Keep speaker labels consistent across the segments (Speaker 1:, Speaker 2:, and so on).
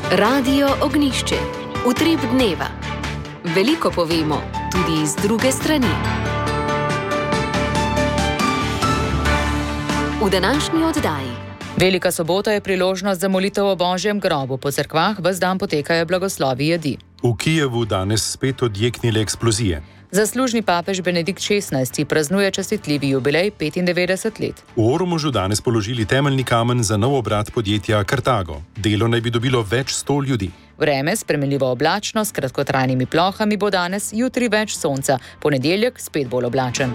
Speaker 1: Radio Ognišče, utrip dneva. Veliko povemo, tudi iz druge strani. V današnji oddaji.
Speaker 2: Velika sobota je priložnost za molitev o Božjem grobu. Po cerkvah ves dan potekajo blagoslovi jedi.
Speaker 3: V Kijevu danes spet odjeknile eksplozije.
Speaker 2: Zaslužni papež Benedikt XVI praznuje častitljivi jubilej 95 let.
Speaker 3: V Ormožu danes položili temeljni kamen za nov obrat podjetja Kartago. Delo naj bi dobilo več 100 ljudi.
Speaker 2: Vreme, spremenljivo oblačno, s kratkotrajnimi plohami bo danes, jutri več sonca, ponedeljek spet bolj oblačen.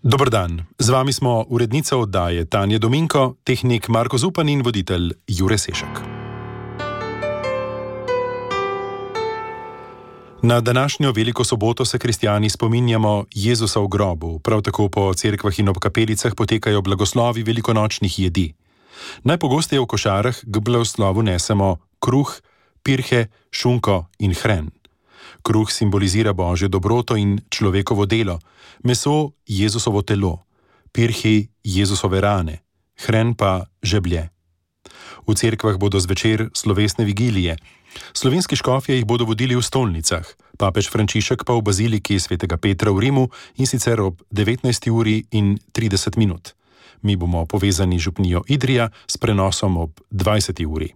Speaker 3: Dober dan, z vami smo urednica oddaje Tanja Dominko, tehnik Marko Zupan in voditelj Jure Sešak. Na današnjo veliko soboto se kristjani spominjamo Jezusa v grobu, prav tako po cerkvah in ob kapelicah potekajo blagoslovi velikonočnih jedi. Najpogosteje v košarah k blagoslovu nesemo kruh, pirhe, šunko in hren. Kruh simbolizira Božjo dobroto in človekovo delo, meso Jezusovo telo, pirhi Jezusove rane, hren pa žeblje. V cerkvah bodo zvečer slovesne vigilije. Slovenski škofje jih bodo vodili v stolnicah, papež Frančišek pa v baziliki svetega Petra v Rimu in sicer ob 19:30. Mi bomo povezani z župnijo Idrija s prenosom ob 20.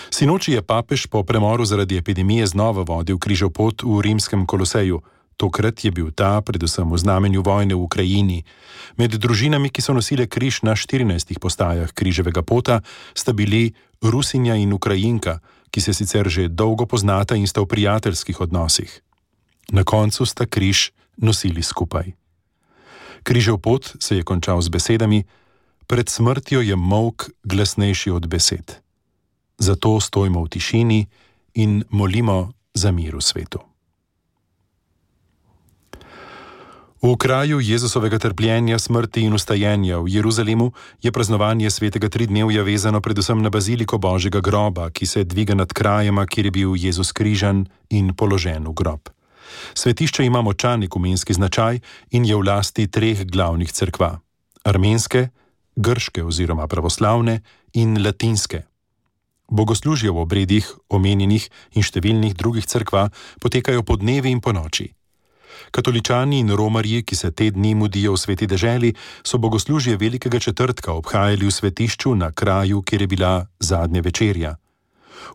Speaker 3: Sinoči je papež po premoru zaradi epidemije znova vodil križev pot v rimskem Koloseju. Tokrat je bil ta predvsem v znamenju vojne v Ukrajini. Med družinami, ki so nosile križ na 14 postajah križevega pota, sta bili Rusinja in Ukrajinka, ki se sicer že dolgo poznata in sta v prijateljskih odnosih. Na koncu sta križ nosili skupaj. Križev pot se je končal z besedami: pred smrtjo je molk glasnejši od besed. Zato stojimo v tišini in molimo za mir v svetu. V kraju Jezusovega trpljenja, smrti in vstajenja v Jeruzalemu je praznovanje svetega tridnevja vezano predvsem na baziliko Božjega groba, ki se dviga nad krajema, kjer je bil Jezus križan in položen v grob. Svetišče ima močan ekumenski značaj in je v lasti 3 glavnih cerkva: armenske, grške oziroma pravoslavne in latinske. Bogoslužje v obredih omenjenih in številnih drugih cerkva potekajo po dnevi in po noči. Katoličani in romarji, ki se te dni mudijo v sveti deželi, so bogoslužje Velikega četrtka obhajali v svetišču na kraju, kjer je bila zadnja večerja.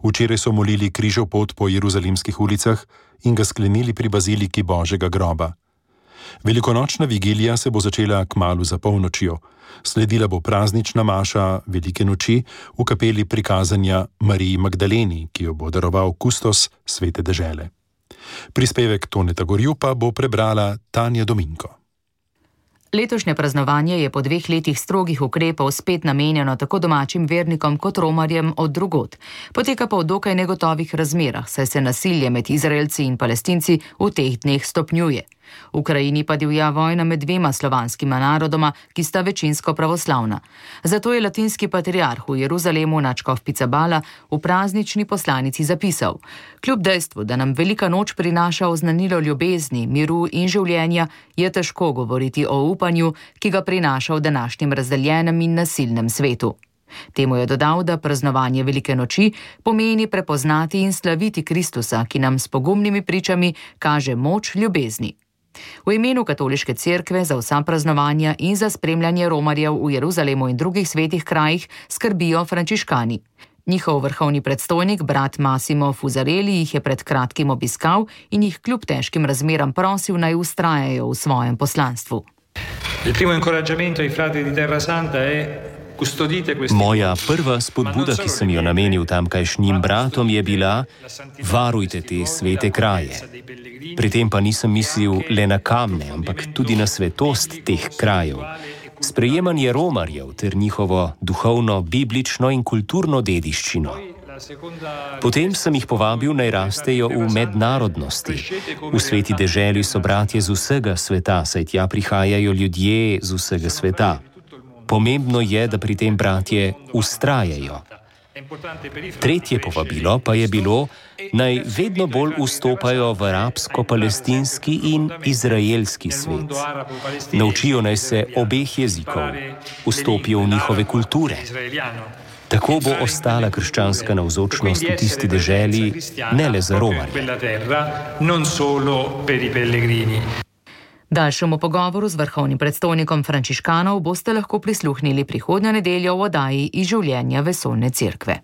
Speaker 3: Včeraj so molili križev pot po jeruzalemskih ulicah in ga sklenili pri baziliki Božjega groba. Velikonočna vigilija se bo začela kmalu za polnočjo. Sledila bo praznična maša Velike noči v kapeli prikazanja Mariji Magdaleni, ki jo bo daroval kustos svete dežele. Prispevek Toneta Gorju pa bo prebrala Tanja Dominko.
Speaker 2: Letošnje praznovanje je po 2 letih strogih ukrepov spet namenjeno tako domačim vernikom kot romarjem od drugod. Poteka pa v dokaj negotovih razmerah, saj se nasilje med Izraelci in Palestinci v teh dneh stopnjuje. V Ukrajini pa divja vojna med 2 slovanskima narodoma, ki sta večinsko pravoslavna. Zato je latinski patriarh v Jeruzalemu nadškof Picabala v praznični poslanici zapisal: kljub dejstvu, da nam velika noč prinaša oznanilo ljubezni, miru in življenja, je težko govoriti o upanju, ki ga prinaša v današnjem razdeljenem in nasilnem svetu. Temu je dodal, da praznovanje Velike noči pomeni prepoznati in slaviti Kristusa, ki nam s pogumnimi pričami kaže moč ljubezni. V imenu Katoliške cerkve za vsa praznovanja in za spremljanje romarjev v Jeruzalemu in drugih svetih krajih skrbijo frančiškani. Njihov vrhovni predstojnik, brat Massimo Fusarelli, jih je pred kratkim obiskal in jih kljub težkim razmeram prosil, naj vztrajajo v svojem poslanstvu.
Speaker 4: Moja prva spodbuda, ki sem jo namenil tamkajšnjim bratom, je bila: varujte te svete kraje. Pri tem pa nisem mislil le na kamne, ampak tudi na svetost teh krajev. Sprejemanje romarjev ter njihovo duhovno, biblično in kulturno dediščino. Potem sem jih povabil, naj rastejo v mednarodnosti. V sveti deželi so bratje z vsega sveta, saj tja prihajajo ljudje z vsega sveta. Pomembno je, da pri tem bratje vztrajajo. Tretje povabilo pa je bilo, naj vedno bolj vstopajo v arabsko-palestinski in izraelski svet. Naučijo naj se obeh jezikov, vstopijo v njihove kulture. Tako bo ostala krščanska navzočnost v tisti deželi, ne le za Romarje.
Speaker 2: Daljšemu pogovoru z vrhovnim predstojnikom frančiškanov boste lahko prisluhnili prihodnjo nedeljo v oddaji Iz življenja vesoljne cerkve.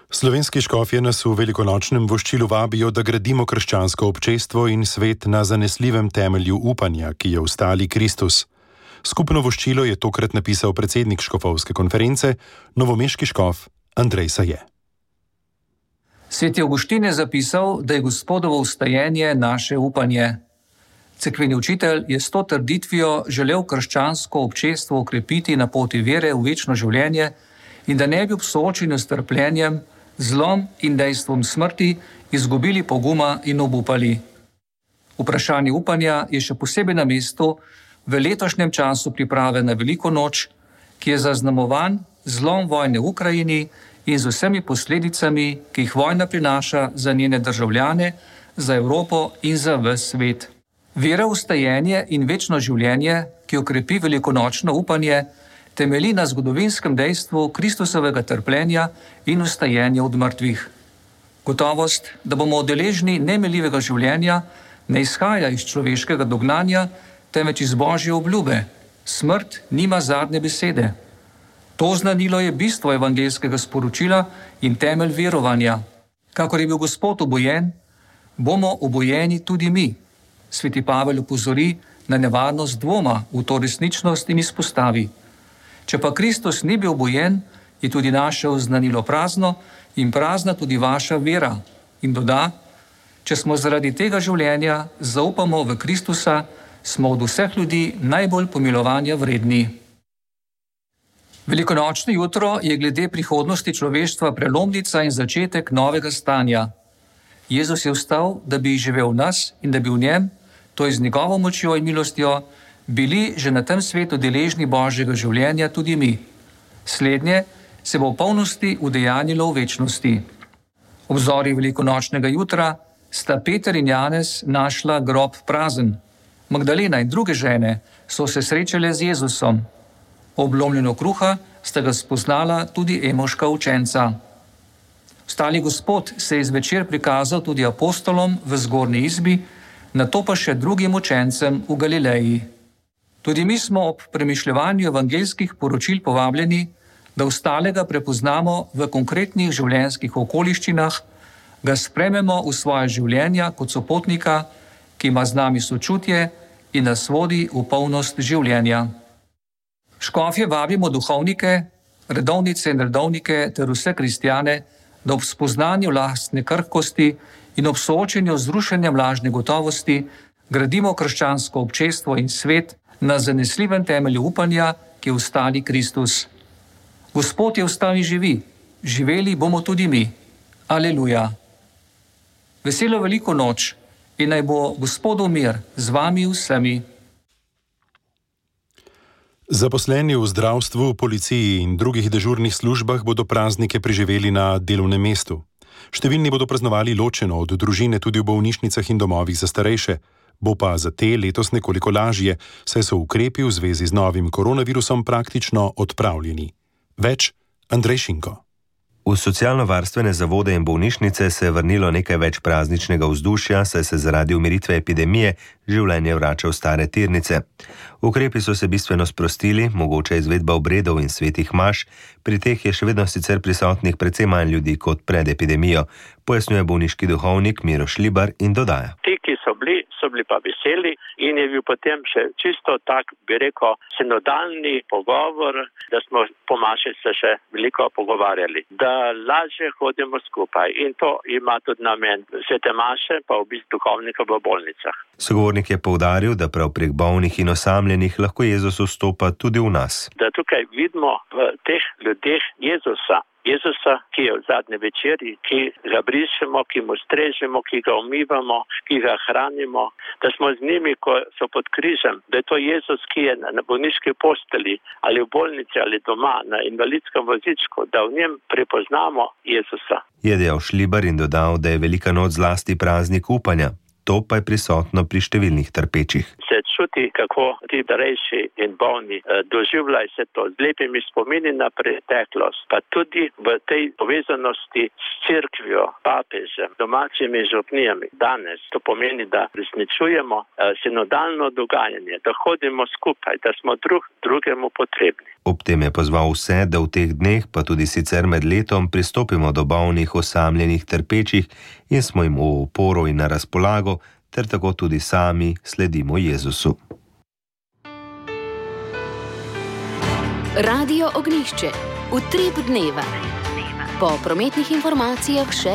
Speaker 3: Slovenski škofje nas v velikonočnem voščilu vabijo, da gradimo krščansko občestvo in svet na zanesljivem temelju upanja, ki je v stali Kristus. Skupno voščilo je tokrat napisal predsednik škofovske konference, novomeški škof Andrej Saje.
Speaker 5: Sveti Avguštin je zapisal, da je Gospodovo vstajenje naše upanje. Cerkveni učitelj je s to trditvijo želel krščansko občestvo okrepiti na poti vere v večno življenje in da ne bi ob soočenju s trpljenjem, zlom in dejstvom smrti izgubili poguma in obupali. Vprašanje upanja je še posebej na mestu v letošnjem času priprave na Veliko noč, ki je zaznamovan zlom vojne v Ukrajini in z vsemi posledicami, ki jih vojna prinaša za njene državljane, za Evropo in za ves svet. Vera v vstajenje in večno življenje, ki okrepi velikonočno upanje, temelji na zgodovinskem dejstvu Kristusovega trpljenja in vstajenja od mrtvih. Gotovost, da bomo deležni nemiljivega življenja, ne izhaja iz človeškega dognanja, temveč iz Božje obljube. Smrt nima zadnje besede. To znanilo je bistvo evangeljskega sporočila in temelj verovanja. Kakor je bil Gospod obojen, bomo obojeni tudi mi. Sveti Pavel opozori na nevarnost dvoma v to resničnost in izpostavi. Če pa Kristus ni bil obojen, je tudi naše oznanilo prazno in prazna tudi vaša vera. In doda, če smo zaradi tega življenja zaupamo v Kristusa, smo od vseh ljudi najbolj pomilovanja vredni. Velikonočno jutro je glede prihodnosti človeštva prelomnica in začetek novega stanja. Jezus je vstal, da bi živel v nas in da bi v njem, to je z njegovo močjo in milostjo, bili že na tem svetu deležni Božjega življenja tudi mi. Slednje se bo v polnosti udejanjilo v večnosti. Ob zori velikonočnega jutra sta Peter in Janez našla grob prazen. Magdalena in druge žene so se srečale z Jezusom. Ob lomljenju kruha sta ga spoznala tudi emoška učenca. Vstali Gospod se je zvečer prikazal tudi apostolom v zgornji izbi, nato pa še drugim učencem v Galileji. Tudi mi smo ob premišljevanju evangeljskih poročil povabljeni, da vstalega prepoznamo v konkretnih življenjskih okoliščinah, ga sprememo v svoje življenja kot sopotnika, ki ima z nami sočutje in nas vodi v polnost življenja. Škofje vabimo duhovnike, redovnice in redovnike ter vse kristjane, da ob spoznanju lastne krhkosti in ob soočenju z rušenjem lažne gotovosti gradimo krščansko občestvo in svet na zanesljivem temelju upanja, ki je v stali Kristus. Gospod je vstal in živi, živeli bomo tudi mi. Aleluja. Veselo veliko noč in naj bo Gospodov mir z vami vsemi.
Speaker 3: Zaposleni v zdravstvu, policiji in drugih dežurnih službah bodo praznike preživeli na delovnem mestu. Številni bodo praznovali ločeno od družine tudi v bolnišnicah in domovih za starejše. Bo pa za te letos nekoliko lažje, saj so ukrepi v zvezi z novim koronavirusom praktično odpravljeni. Več Andrej Šinko.
Speaker 6: V socialno-varstvene zavode in bolnišnice se je vrnilo nekaj več prazničnega vzdušja, saj se zaradi umiritve epidemije življenje vrača v stare tirnice. Ukrepi so se bistveno sprostili, mogoče izvedba obredov in svetih maš, pri teh je še vedno sicer prisotnih precej manj ljudi kot pred epidemijo, pojasnjuje bolniški duhovnik Miro Šlibar in dodaja.
Speaker 7: Ti, ki so bili pa veseli in je bil potem še čisto tak, bi rekel, sinodalni pogovor, da smo po maši se še veliko pogovarjali, da lažje hodimo skupaj in to ima tudi namen svete maše, pa v bistvu duhovnika v bolnicah.
Speaker 6: Sogovornik je poudaril, da prav prek bolnih in osamljenih lahko Jezus vstopa tudi v nas.
Speaker 7: Da tukaj vidimo v teh ljudeh Jezusa, Jezusa, ki je v zadnji večeri, ki ga brišemo, ki mu strežemo, ki ga umivamo, ki ga hranimo, da smo z njimi, ko so pod križem, da je to Jezus, ki je na bolniški posteli ali v bolnici ali doma na invalidskem vozičku, da v njem prepoznamo Jezusa.
Speaker 6: Je dejal Šlibar in dodal, da je velika noč zlasti praznik upanja. To pa je prisotno pri številnih trpečih.
Speaker 7: Se čuti, kako ti starejši in bolni doživljajo se to z lepimi spomini na preteklost, pa tudi v tej povezanosti s cerkvijo, papežem, domačimi župnijami. Danes to pomeni, da resničujemo sinodalno dogajanje, da hodimo skupaj, da smo drugemu potrebni.
Speaker 6: Ob tem je pozval vse, da v teh dneh, pa tudi sicer med letom, pristopimo do bolnih, osamljenih, trpečih in smo jim v oporo in na razpolago, ter tako tudi sami sledimo Jezusu.
Speaker 1: Radio Ognjišče. Utrip dneva. Po prometnih informacijah še...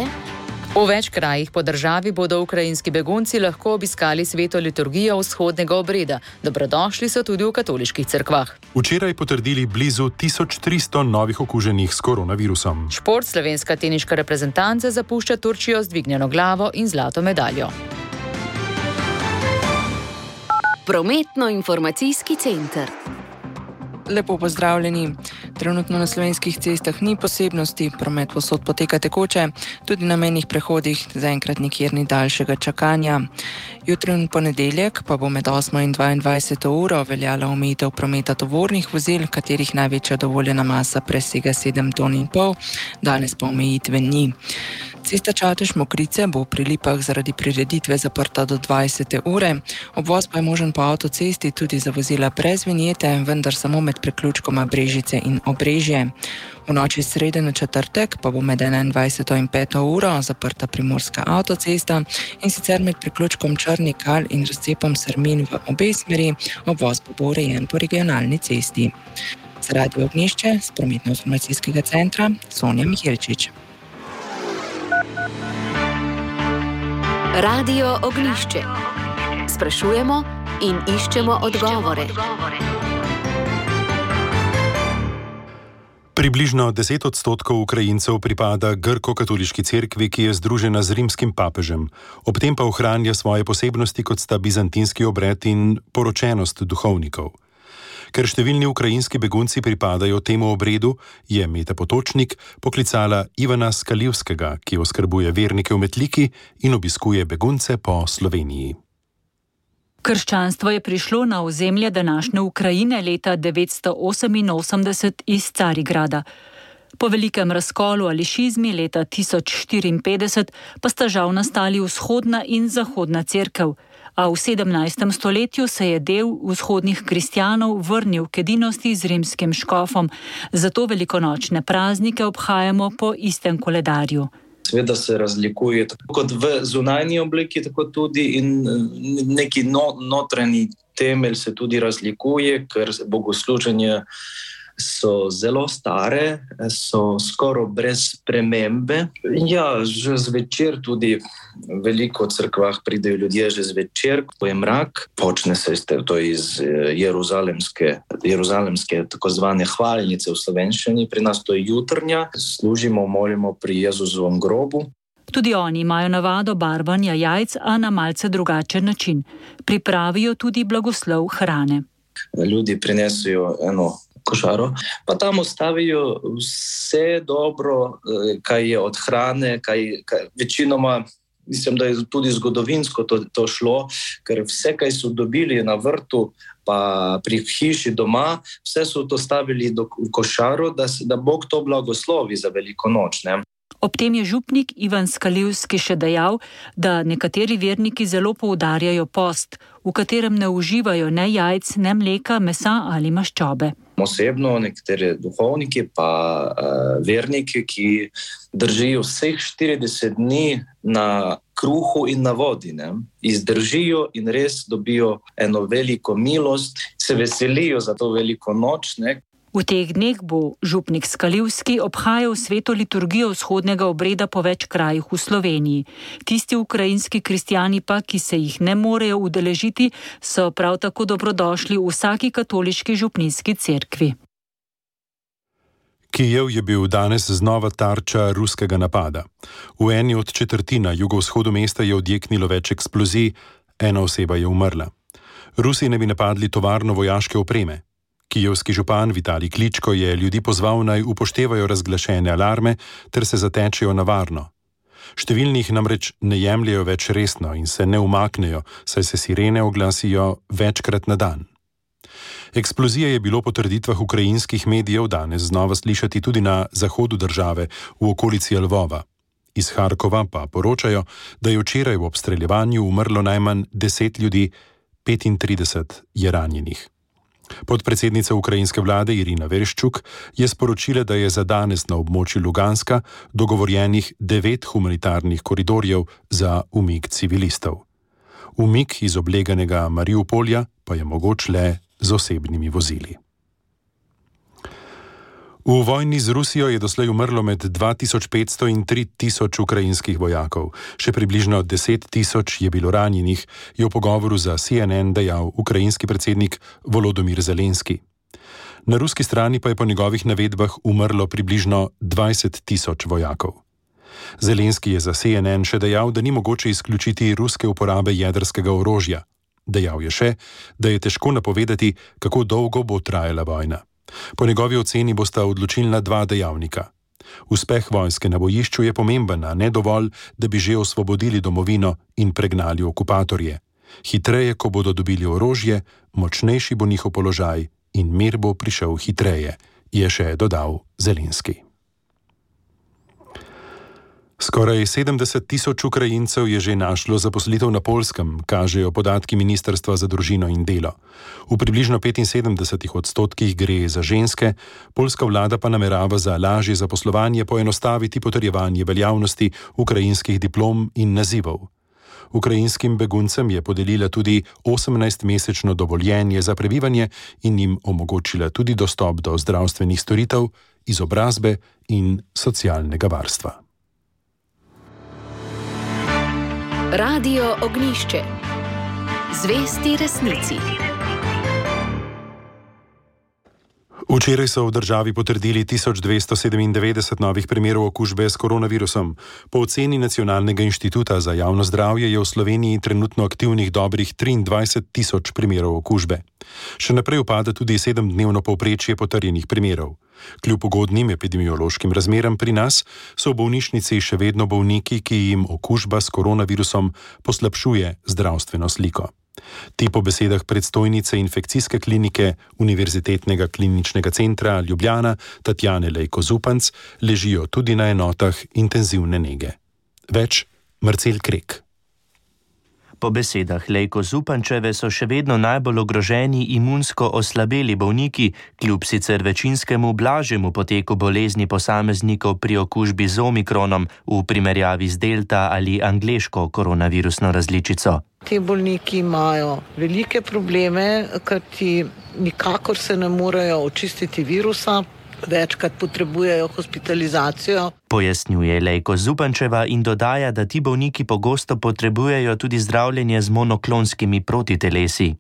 Speaker 2: V več krajih po državi bodo ukrajinski begunci lahko obiskali sveto liturgijo vzhodnega obreda. Dobrodošli so tudi v katoliških cerkvah.
Speaker 3: Včeraj potrdili blizu 1300 novih okuženih s koronavirusom.
Speaker 2: Šport, slovenska teniška reprezentanca zapušča Turčijo z dvignjeno glavo in zlato medaljo.
Speaker 1: Prometno-informacijski center.
Speaker 8: Lepo pozdravljeni. Trenutno na slovenskih cestah ni posebnosti, promet povsod poteka tekoče, tudi na mejnih prehodih zaenkrat nikjer ni daljšega čakanja. Jutri in ponedeljek pa bo med 8 in 22 uro veljala omejitev prometa tovornih vozil, katerih največja dovoljena masa presega 7,5 ton, danes pa omejitve ni. Cesta Čatež-Mokrice bo pri Lipah zaradi prireditve zaprta do 20. ure, obvoz pa je možen po avtocesti tudi za vozila brez vinjete, vendar samo med priključkoma Brežice in Obrežje. V noči srede na četrtek pa bo med 21. in 5. uro zaprta primorska avtocesta in sicer med priključkom Črni Kal in razcepom Srmin v obe smeri, obvoz pa bo urejen po regionalni cesti. Za Radio Ognjišče z prometno-informacijskega centra Sonja Miheličič.
Speaker 1: Radio Ognjišče. Sprašujemo in iščemo odgovore.
Speaker 3: Približno 10% Ukrajincev pripada grko-katoliški cerkvi, ki je združena z rimskim papežem. Ob tem pa ohranja svoje posebnosti, kot sta bizantinski obred in poročenost duhovnikov. Ker številni ukrajinski begunci pripadajo temu obredu, je Meta Potočnik poklicala Ivana Skaljivskega, ki oskrbuje vernike v Metliki in obiskuje begunce po Sloveniji.
Speaker 9: Krščanstvo je prišlo na ozemlje današnje Ukrajine leta 988 iz Carigrada. Po velikem razkolu ali šizmi leta 1054 pa sta žal nastali vzhodna in zahodna cerkev, a v 17. stoletju se je del vzhodnih kristjanov vrnil k edinosti z rimskim škofom, zato velikonočne praznike obhajamo po istem koledarju.
Speaker 10: Seveda se razlikuje tako kot v zunanji obliki, tako tudi in neki notranji temelj se tudi razlikuje, ker bogosluženje so zelo stare, so skoraj brez spremembe. Ja, že zvečer tudi veliko v cerkvah pridejo ljudje že zvečer, ko je mrak. Počne se to iz jeruzalemske tako zvane hvalnice v slovenščini, pri nas to je jutrnja, služimo, molimo pri Jezusovem grobu.
Speaker 9: Tudi oni imajo navado barvanja jajc, a na malce drugačen način. Pripravijo tudi blagoslov hrane.
Speaker 10: Ljudi prinesejo eno košaro, pa tam ostavijo vse dobro, kaj je od hrane, kaj večinoma, mislim, da je tudi zgodovinsko to šlo, ker vse, kaj so dobili na vrtu, pa pri hiši doma, vse so to stavili do košaro, da Bog to blagoslovi za veliko noč, ne?
Speaker 9: Ob tem je župnik Ivan Skaljivski še dejal, da nekateri verniki zelo poudarjajo post, v katerem ne uživajo ne jajc, ne mleka, mesa ali maščobe.
Speaker 10: Osebno nekateri duhovniki pa verniki, ki držijo vseh 40 dni na kruhu in na vodi, ne? Izdržijo in res dobijo eno veliko milost, se veselijo za to veliko noč, ne?
Speaker 9: V teh dneh bo župnik Skaljivski obhajal sveto liturgijo vzhodnega obreda po več krajih v Sloveniji. Tisti ukrajinski kristjani pa, ki se jih ne morejo udeležiti, so prav tako dobrodošli v vsaki katoliški župnijski cerkvi.
Speaker 3: Kijev je bil danes znova tarča ruskega napada. V eni od četrtin na jugovzhodu mesta je odjeknilo več eksplozij, ena oseba je umrla. Rusi ne bi napadli tovarno vojaške opreme. Kijevski župan Vitalij Kličko je ljudi pozval, naj upoštevajo razglašene alarme ter se zatečejo na varno. Številni jih namreč ne jemljejo več resno in se ne umaknejo, saj se sirene oglasijo večkrat na dan. Eksplozije je bilo po trditvah ukrajinskih medijev danes znova slišati tudi na zahodu države, v okolici Lvova. Iz Harkova pa poročajo, da je včeraj v obstreljevanju umrlo najmanj 10 ljudi, 35 je ranjenih. Podpredsednica ukrajinske vlade Irina Vereščuk je sporočila, da je za danes na območju Luganska dogovorjenih 9 humanitarnih koridorjev za umik civilistov. Umik iz obleganega Mariupolja pa je mogoč le z osebnimi vozili. V vojni z Rusijo je doslej umrlo med 2500 in 3000 ukrajinskih vojakov. Še približno 10 000 je bilo ranjenih, je v pogovoru za CNN dejal ukrajinski predsednik Volodymyr Zelenski. Na ruski strani pa je po njegovih navedbah umrlo približno 20 000 vojakov. Zelenski je za CNN še dejal, da ni mogoče izključiti ruske uporabe jedrskega orožja. Dejal je še, da je težko napovedati, kako dolgo bo trajala vojna. Po njegovi oceni bosta odločilna 2 dejavnika. Uspeh vojske na bojišču je pomemben, a ne dovolj, da bi že osvobodili domovino in pregnali okupatorje. Hitreje, ko bodo dobili orožje, močnejši bo njihov položaj in mir bo prišel hitreje, je še dodal Zelenski. Skoraj 70 000 Ukrajincev je že našlo zaposlitev na Poljskem, kažejo podatki Ministrstva za družino in delo. V približno 75% gre za ženske, poljska vlada pa namerava za lažje zaposlovanje poenostaviti potrjevanje veljavnosti ukrajinskih diplom in nazivov. Ukrajinskim beguncem je podelila tudi 18-mesečno dovoljenje za prebivanje in jim omogočila tudi dostop do zdravstvenih storitev, izobrazbe in socialnega varstva.
Speaker 1: Radio Ognjišče. Zvesti resnici.
Speaker 3: Včeraj so v državi potrdili 1297 novih primerov okužbe s koronavirusom. Po oceni Nacionalnega inštituta za javno zdravje je v Sloveniji trenutno aktivnih dobrih 23 000 primerov okužbe. Še naprej upada tudi 7-dnevno povprečje potrjenih primerov. Kljub ugodnim epidemiološkim razmeram pri nas so v bolnišnici še vedno bolniki, ki jim okužba s koronavirusom poslabšuje zdravstveno sliko. Ti po besedah predstojnice infekcijske klinike Univerzitetnega kliničnega centra Ljubljana Tatjane Lejko Zupanc ležijo tudi na enotah intenzivne nege. Več Marcel Krek.
Speaker 11: Po besedah Lejko Zupančeve so še vedno najbolj ogroženi imunsko oslabeli bolniki, kljub sicer večinskemu blažjemu poteku bolezni posameznikov pri okužbi z omikronom v primerjavi z delta ali angleško koronavirusno različico.
Speaker 12: Ti bolniki imajo velike probleme, kajti nikakor se ne morejo očistiti virusa, večkrat potrebujejo hospitalizacijo.
Speaker 11: Pojasnjuje Lejko Zupančeva in dodaja, da ti bolniki pogosto potrebujejo tudi zdravljenje z monoklonskimi protitelesi.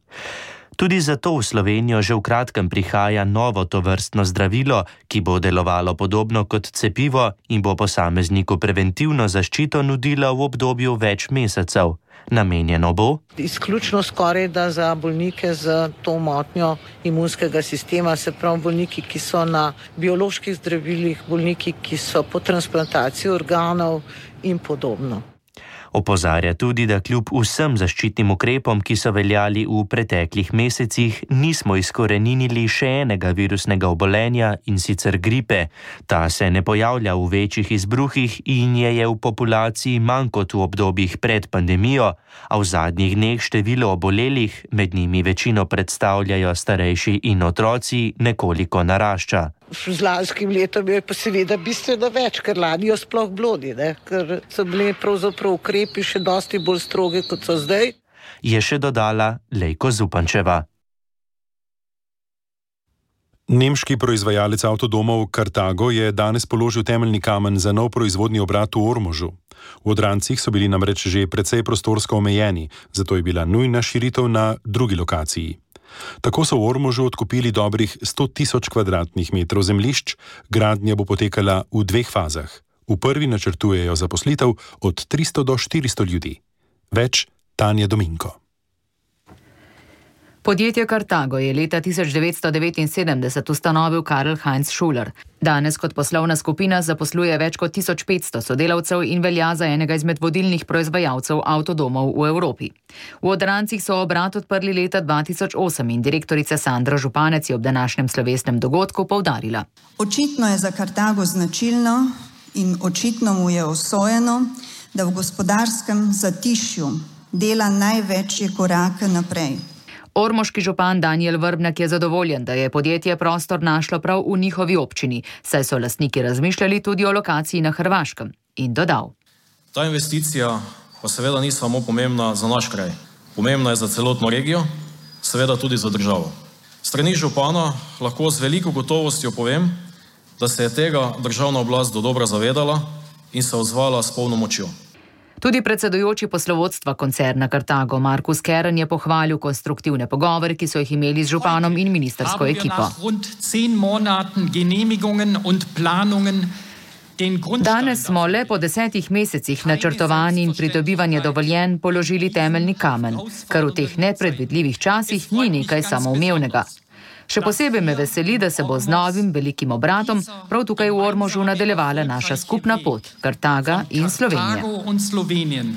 Speaker 11: Tudi zato v Slovenijo že v kratkem prihaja novo tovrstno zdravilo, ki bo delovalo podobno kot cepivo in bo posamezniku preventivno zaščito nudilo v obdobju več mesecev. Namenjeno bo
Speaker 12: izključno skoraj da za bolnike z to motnjo imunskega sistema, se pravi bolniki, ki so na bioloških zdravilih, bolniki, ki so po transplantaciji organov in podobno.
Speaker 11: Opozarja tudi, da kljub vsem zaščitnim ukrepom, ki so veljali v preteklih mesecih, nismo izkoreninili še enega virusnega obolenja, in sicer gripe. Ta se ne pojavlja v večjih izbruhih in je v populaciji manj kot v obdobjih pred pandemijo, a v zadnjih dneh število obolelih, med njimi večino predstavljajo starejši in otroci, nekoliko narašča.
Speaker 12: Z lanskim letom je pa seveda bistveno več, ker lani jo sploh blodi, ker so bili pravzaprav ukrepi še dosti bolj stroge, kot so zdaj.
Speaker 11: Je še dodala Lejko Zupančeva.
Speaker 3: Nemški proizvajalec avtodomov Carthago je danes položil temeljni kamen za nov proizvodni obrat v Ormožu. V Odrancih so bili namreč že precej prostorsko omejeni, zato je bila nujna širitev na drugi lokaciji. Tako so v Ormožu odkupili dobrih 100.000 kvadratnih metrov zemljišč, gradnja bo potekala v 2 fazah. V prvi načrtujejo zaposlitev od 300 do 400 ljudi. Več Tanja Dominko.
Speaker 2: Podjetje Carthago je leta 1979 ustanovil Karl Heinz Schuler. Danes kot poslovna skupina zaposluje več kot 1500 sodelavcev in velja za enega izmed vodilnih proizvajalcev avtodomov v Evropi. V Odrancih so obrat odprli leta 2008 in direktorica Sandra Županec je ob današnjem slovesnem dogodku poudarila.
Speaker 13: Očitno je za Carthago značilno in očitno mu je usojeno, da v gospodarskem zatišju dela največje korake naprej.
Speaker 2: Ormoški župan Danijel Vrbnjak je zadovoljen, da je podjetje prostor našlo prav v njihovi občini, saj so lastniki razmišljali tudi o lokaciji na Hrvaškem, in dodal.
Speaker 14: Ta investicija pa seveda ni samo pomembna za naš kraj. Pomembna je za celotno regijo, seveda tudi za državo. Strani župana lahko z veliko gotovostjo povem, da se je tega državna oblast dodobra zavedala in se odzvala s polno močjo.
Speaker 2: Tudi predsedujoči poslovodstva koncerna Carthago Markus Kern je pohvalil konstruktivne pogovore, ki so jih imeli z županom in ministersko ekipo. Danes smo le po 10 mesecih načrtovanj in pridobivanja dovoljenj položili temeljni kamen, kar v teh nepredvidljivih časih ni nekaj samoumevnega. Še posebej me veseli, da se bo z novim velikim obratom prav tukaj v Ormožu nadaljevala naša skupna pot, Carthaga in Slovenije.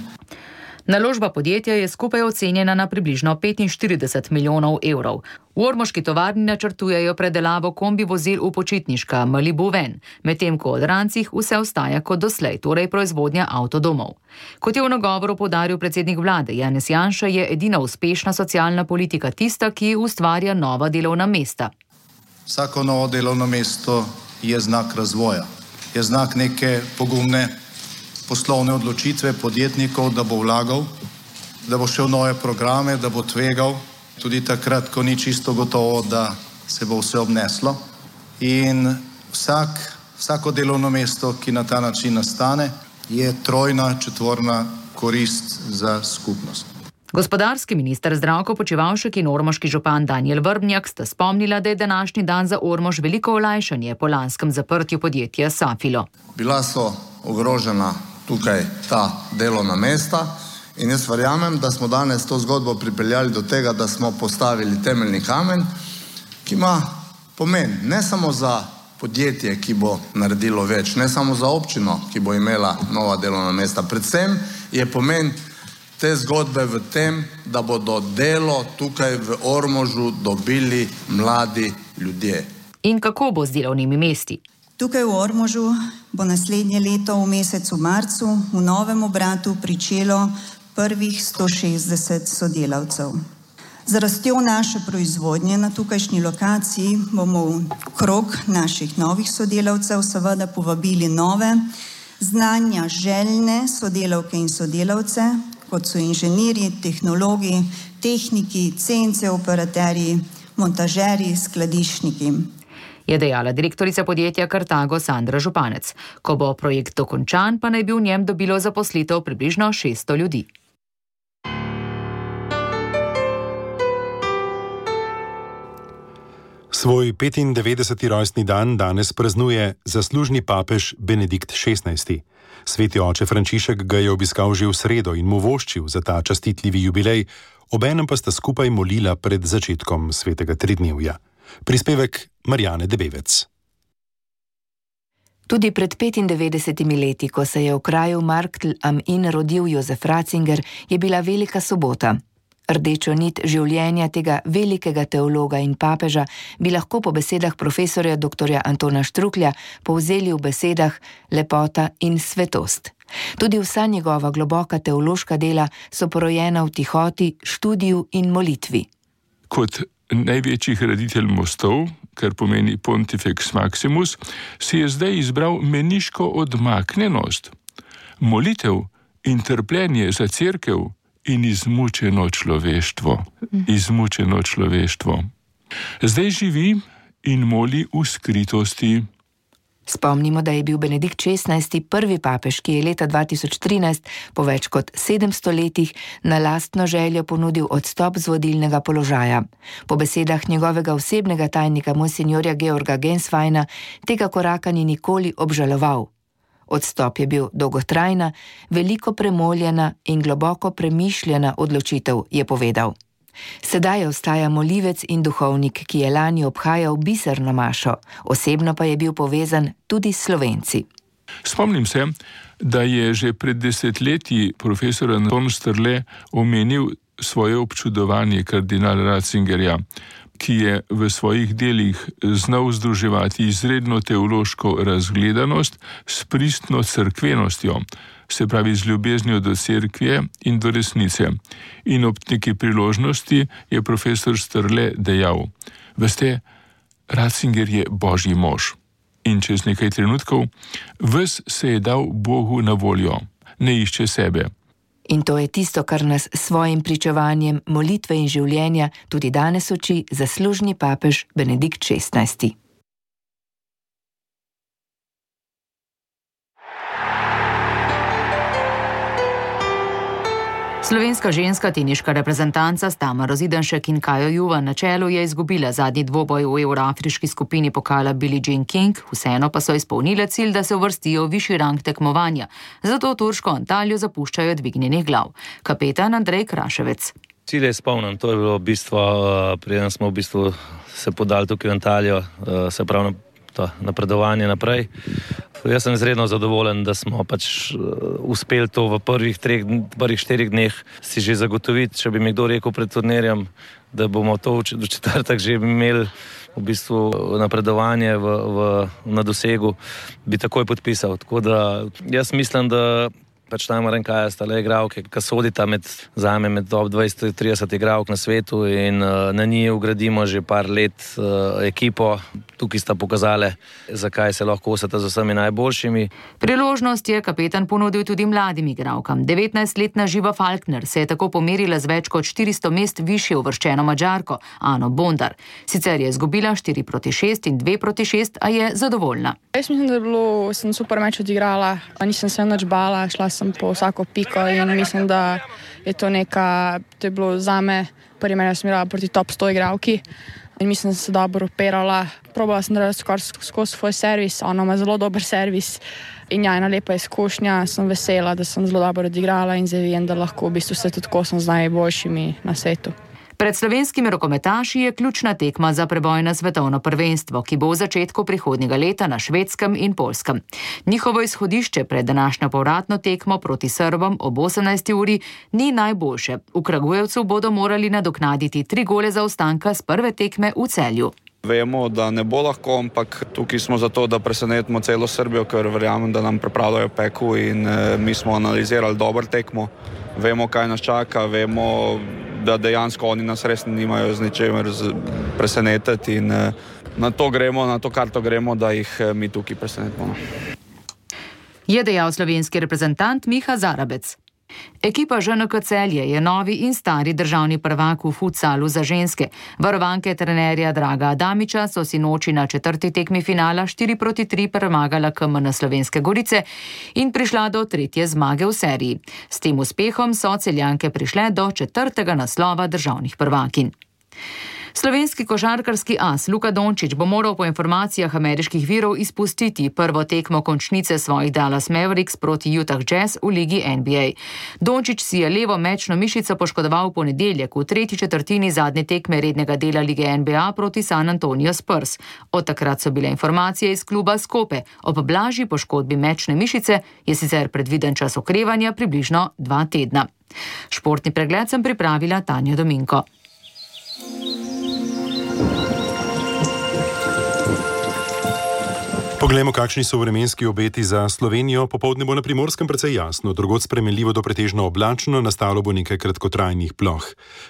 Speaker 2: Naložba podjetja je skupaj ocenjena na približno 45 milijonov evrov. V ormoški tovarni načrtujejo predelavo kombi vozil v počitniška Malibu Van, medtem ko v Odrancih vse ostaja kot doslej, torej proizvodnja avtodomov. Kot je v nagovoru poudaril predsednik vlade Janez Janša, je edina uspešna socialna politika tista, ki ustvarja nova delovna mesta.
Speaker 15: Vsako novo delovno mesto je znak razvoja, je znak neke pogumne poslovne odločitve podjetnikov, da bo vlagal, da bo šel v nove programe, da bo tvegal, tudi takrat, ko ni čisto gotovo, da se bo vse obneslo. In vsako delovno mesto, ki na ta način nastane, je trojna, četvorna korist za skupnost.
Speaker 2: Gospodarski minister Zdravko Počivalšek in ormoški župan Danijel Vrbnjak sta spomnila, da je današnji dan za Ormož veliko olajšanje po lanskem zaprtju podjetja Safilo.
Speaker 16: Bila so ogrožena tukaj ta delovna mesta in jaz verjamem, da smo danes to zgodbo pripeljali do tega, da smo postavili temeljni kamen, ki ima pomen ne samo za podjetje, ki bo naredilo več, ne samo za občino, ki bo imela nova delovna mesta. Predvsem je pomen te zgodbe v tem, da bodo delo tukaj v Ormožu dobili mladi ljudje.
Speaker 2: In kako bo z delovnimi mesti?
Speaker 13: Tukaj v Ormožu bo naslednje leto v mesecu marcu v novem obratu pričelo prvih 160 sodelavcev. Z rastjo naše proizvodnje na tukajšnji lokaciji bomo v krog naših novih sodelavcev seveda povabili nove, znanja željne sodelavke in sodelavce, kot so inženirji, tehnologi, tehniki, CNC operaterji, montažerji, skladiščniki.
Speaker 2: Je dejala direktorica podjetja Carthago Sandra Županec. Ko bo projekt dokončan, pa naj bi v njem dobilo zaposlitev približno 600 ljudi.
Speaker 3: Svoj 95. rojstni dan danes praznuje zaslužni papež Benedikt XVI. Sveti oče Frančišek ga je obiskal že v sredo in mu voščil za ta častitljivi jubilej, obenem pa sta skupaj molila pred začetkom svetega tridnevja. Prispevek Marjane Debevec.
Speaker 17: Tudi pred 95 leti, ko se je v kraju Marktl am Inn rodil Jozef Ratzinger, je bila velika sobota. Rdečo nit življenja tega velikega teologa in papeža bi lahko po besedah profesorja dr. Antona Štruklja povzeli v besedah lepota in svetost. Tudi vsa njegova globoka teološka dela so porojena v tihoti, študiju in molitvi.
Speaker 18: Kot največji graditelj mostov, kar pomeni Pontifex Maximus, si je zdaj izbral meniško odmaknjenost, molitev in trpljenje za cerkev in izmučeno človeštvo. Izmučeno človeštvo. Zdaj živi in moli v skritosti.
Speaker 17: Spomnimo, da je bil Benedikt XVI. Prvi papež, ki je leta 2013 po več kot 700 letih na lastno željo ponudil odstop z vodilnega položaja. Po besedah njegovega osebnega tajnika monsinjorja Georga Gensweina tega koraka ni nikoli obžaloval. Odstop je bil dolgotrajna, veliko premoljena in globoko premišljena odločitev, je povedal. Sedaj ostaja molivec in duhovnik, ki je lani obhajal biserno mašo, osebno pa je bil povezan tudi s Slovenci.
Speaker 18: Spomnim se, da je že pred 10 leti profesor Anton Strle omenil svoje občudovanje kardinala Ratzingerja, ki je v svojih delih znal združevati izredno teološko razgledanost s pristno cerkvenostjo, se pravi z ljubeznijo do cerkve in do resnice. In ob neki priložnosti je profesor Strle dejal: veste, Ratzinger je božji mož. In čez nekaj trenutkov ves se je dal Bogu na voljo, ne išče sebe.
Speaker 17: In to je tisto, kar nas s svojim pričevanjem molitve in življenja tudi danes uči zaslužni papež Benedikt XVI.
Speaker 2: Slovenska ženska teniška reprezentanca s Tamaro Zidanšek in Kajo Juvan na čelu je izgubila zadnji dvoboj v evroafriški skupini pokala Billie Jean King, vseeno pa so izpolnile cilj, da se uvrstijo v višji rang tekmovanja. Zato turško Antaljo zapuščajo dvignjenih glav. Kapetan Andrej Kraševec.
Speaker 19: Cilj je izpolnjen, to je bilo bistvo, preden smo v bistvu se podali tukaj v Antaljo, se pravi to napredovanje naprej. Jaz sem izredno zadovoljen, da smo pač uspeli to v prvih 4 dneh si že zagotoviti. Če bi mi kdo rekel pred turnirjem, da bomo to v četrtek že imeli v bistvu napredovanje na dosegu, bi takoj podpisal. Tako da jaz mislim, da pač Tamara in Kaja sta le igralke, ki sodita med top 20-30 igralk na svetu in na njih ugradimo že par let ekipo. Tukaj sta pokazale, zakaj se lahko kosata z vsemi najboljšimi.
Speaker 2: Priložnost je kapetan ponudil tudi mladim igralkam. 19-letna Živa Falkner se je tako pomerila z več kot 400 mest višje uvrščeno Madžarko, Ano Bondar. Sicer je izgubila 4-6 in 2-6, a je zadovoljna.
Speaker 20: Jaz mislim, da sem super meč odigrala, nisem se nič bala, šla sem po vsako piko in mislim, da je to je bilo zame, prvi mene sem igrala proti top 100 igralki. In mislim, da sem se dobro operala. Probala sem narediti skozi svoj servis, ona ima zelo dober servis in ena lepa izkušnja. Sem vesela, da sem zelo dobro odigrala in zdaj vem, da lahko v bistvu se tudi kosam z najboljšimi na svetu.
Speaker 2: Pred slovenskimi rokometaši je ključna tekma za preboj na svetovno prvenstvo, ki bo v začetku prihodnjega leta na Švedskem in Poljskem. Njihovo izhodišče pred današnjo povratno tekmo proti Srbom ob 18. uri ni najboljše. V Kragujevcu bodo morali nadoknaditi 3 gole zaostanka s prve tekme v Celju.
Speaker 21: Vemo, da ne bo lahko, ampak tukaj smo zato, da presenetimo celo Srbijo, ker verjamem, da nam pripravljajo peku in mi smo analizirali dobro tekmo. Vemo, kaj nas čaka, vemo, da dejansko oni nas res nimajo z ničemer presenetiti in na to gremo, na to karto gremo, da jih mi tukaj presenetimo.
Speaker 2: Je dejal slovenski reprezentant Miha Zarabec. Ekipa ŽNK Celje je novi in stari državni prvak v futsalu za ženske. Varovanke trenerja Draga Adamiča so si noči na 4. tekmi finala 4-3 premagala KMN Slovenske Gorice in prišla do 3. zmage v seriji. S tem uspehom so Celjanke prišle do 4. naslova državnih prvakinj. Slovenski košarkarski as Luka Dončić bo moral po informacijah ameriških virov izpustiti prvo tekmo končnice svojih Dallas Mavericks proti Utah Jazz v ligi NBA. Dončić si je levo mečno mišico poškodoval v ponedeljek v 3. četrtini zadnje tekme rednega dela lige NBA proti San Antonio Spurs. Od takrat so bile informacije iz kluba skope. Ob blažji poškodbi mečne mišice je sicer predviden čas okrevanja približno 2 tedna. Športni pregled sem pripravila Tanja Dominko.
Speaker 3: Poglejmo, kakšni so vremenski obeti za Slovenijo. Popoldne bo na Primorskem precej jasno, drugod spremenljivo do pretežno oblačno, nastalo bo nekaj kratkotrajnih ploh.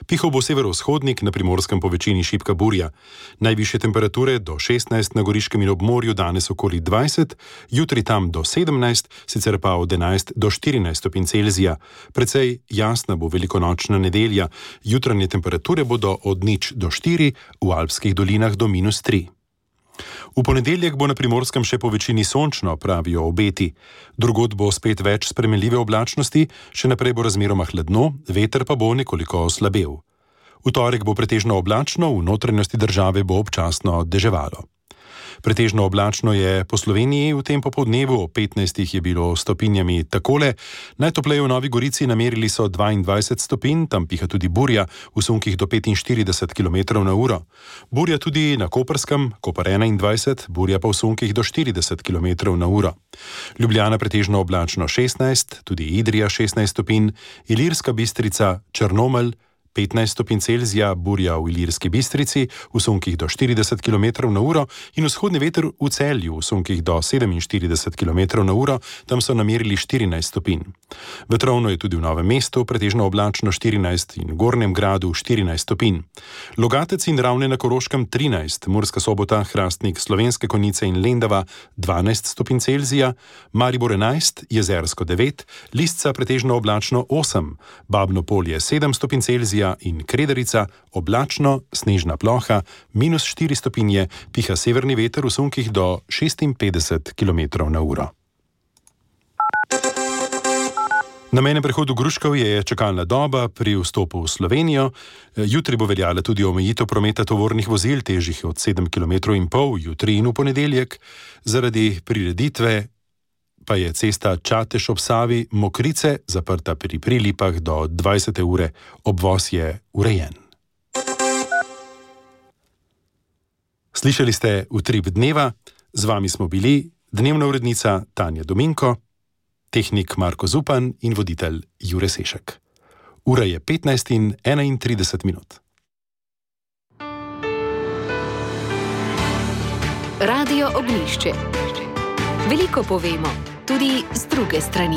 Speaker 3: Pihal bo severovzhodnik, na Primorskem po večini šibka burja. Najvišje temperature do 16 na Goriškem in ob morju, danes okoli 20, jutri tam do 17, sicer pa od 11 do 14 stopinj Celzija. Precej jasna bo velikonočna nedelja, jutranje temperature bodo od 0 do 4, v alpskih dolinah do -3. V ponedeljek bo na Primorskem še po večini sončno, pravijo obeti. Drugod bo spet več spremenljive oblačnosti, še naprej bo razmeroma hladno, veter pa bo nekoliko oslabel. V torek bo pretežno oblačno, v notranjosti države bo občasno deževalo. Pretežno oblačno je po Sloveniji v tem popoldnevu, ob 15 je bilo stopinjami takole. Najtopleje v Novi Gorici namerili so 22 stopinj, tam piha tudi burja v sunkih do 45 km/h. Burja tudi na Koperskem, Koper 21, burja pa v sunkih do 40 km/h. Ljubljana pretežno oblačno 16, tudi Idrija 16 stopinj, Ilirska Bistrica, Črnomelj 15 stopinj Celzija, burja v Ilirski Bistrici v sunkih do 40 km/h in vzhodni veter v Celju v sunkih do 47 km/h, tam so namerili 14 stopinj. Vetrovno je tudi v Novem mestu, pretežno oblačno 14 in v Gornjem Gradu 14 stopinj. Logatec in Ravne na Koroškem 13, Murska Sobota, Hrastnik, Slovenske Konjice in Lendava 12 stopinj Celzija, Maribor 11, Jezersko 9, Lisca pretežno oblačno 8, Babno Polje 7 stopinj Celzija in Krederica oblačno, snežna ploha, -4 stopinje, piha severni veter v sunkih do 56 km/h. Na mejnem prehodu Gruškovje je čakalna doba pri vstopu v Slovenijo. Jutri bo veljala tudi omejitev prometa tovornih vozil, težjih od 7,5 km, jutri in v ponedeljek. Zaradi prireditve pa je cesta Čatež ob Savi Mokrice zaprta pri Prilipah do 20. ure, obvoz je urejen. Slišali ste Utrip dneva, z vami smo bili dnevna urednica Tanja Dominko, tehnik Marko Zupan in voditelj Jure Sešek. Ura je 15:31.
Speaker 1: Radio Ognjišče. Veliko povemo, tudi z druge strani.